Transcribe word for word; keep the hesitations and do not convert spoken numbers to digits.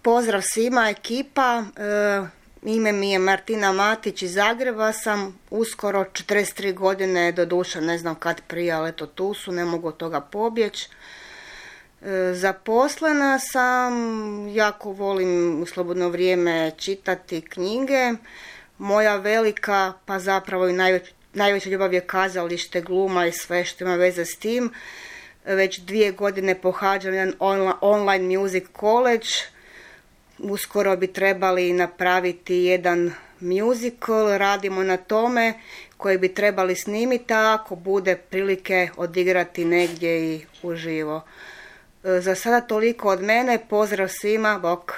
Pozdrav svima, ekipa. E, ime mi je Martina Matić, iz Zagreba sam. Uskoro četrdeset tri godine, doduše ne znam kad prije, ali eto tu su, ne mogu od toga pobjeći. E, zaposlena sam, jako volim u slobodno vrijeme čitati knjige. Moja velika, pa zapravo i najveć, najveća ljubav je kazalište, gluma i sve što ima veze s tim. Već dvije godine pohađam jedan online music college. Uskoro bi trebali napraviti jedan musical, radimo na tome, koji bi trebali snimiti, a ako bude prilike odigrati negdje i uživo. Za sada toliko od mene, pozdrav svima, bok.